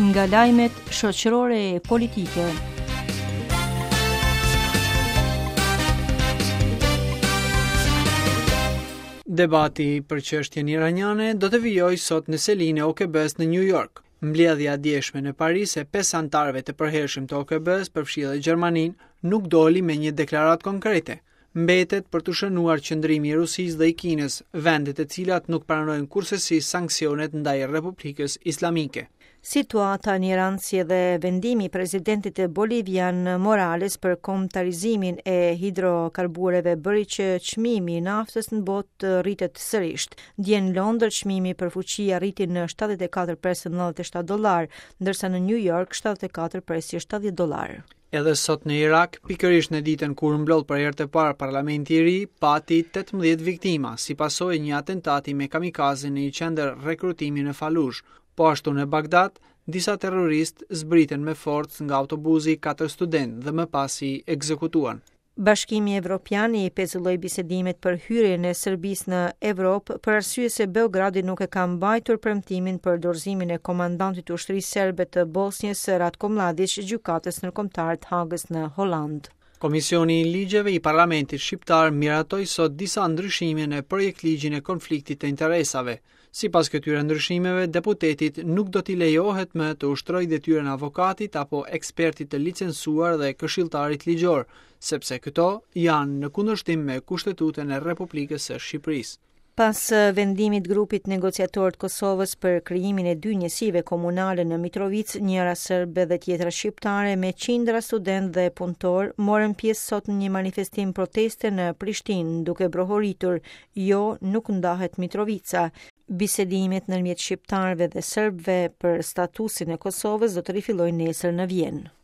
Nga lajmet shoqërore e politike. Debati për çështjen iraniane do të vijojë sot në selinë e OKB-së në New York. Mbledhja e djeshme në Paris e pesë anëtarëve të përhershëm të OKB-së, përfshirë edhe Gjermaninë, nuk doli me një deklaratë konkrete. Mbetet për t'u shënuar qëndrimi i Rusisë dhe i Kinës, vende të cilat nuk pranojnë kurrsesi sanksionet ndaj Republikës Islamike. Situata në Iran si edhe vendimi i presidentit bolivian Morales për kombëtarizimin e hidrokarbureve bëri që çmimi i naftës në botë të rritet sërish. Dje në Londër çmimi për fuçi arriti në 74,97 dollarë, ndërsa në New York 74,70 dollarë. Edhe sot në Irak, pikërisht në ditën kur u mblodh për herë të parë parlamenti i ri, pati 18 viktima, si pasojë e një atentati me kamikaze në një qendër rekrutimi në Falluxh. Po ashtu në Bagdad, disa terroristë zbritën me forcë nga autobuzi katër studentë dhe më pas i ekzekutuan. Bashkimi Evropian i pezulloi bisedimet për hyrjen e Serbisë në Evropë për arsye se Beogradi nuk e ka mbajtur premtimin për dorëzimin e komandantit të ushtrisë serbe të Bosnjës, Ratko Mladiq, gjykatës ndërkombëtare të Hagës në Holandë. Komisioni i Ligjeve i Parlamentit Shqiptar miratoi sot disa ndryshime në projektligjin e konfliktit të interesave. Sipas këtyre ndryshimeve, deputetit nuk do t'i lejohet më të ushtrojë detyrën e avokatit apo ekspertit të licencuar dhe këshilltarit ligjor, sepse këto janë në kundërshtim me Kushtetutën e Republikës së Shqipërisë. Pas vendimit grupit negociator të Kosovës për krijimin e dy njësive komunale në Mitrovicë, njëra serbe dhe tjetra shqiptare, me qindra studentë dhe punëtorë, morën pjesë sot në një manifestim proteste në Prishtinë, duke brohoritur Jo, nuk ndahet Mitrovica. Bisedimet ndërmjet shqiptarëve dhe serbëve për statusin e Kosovës do të rifillojnë nesër në Vjenë.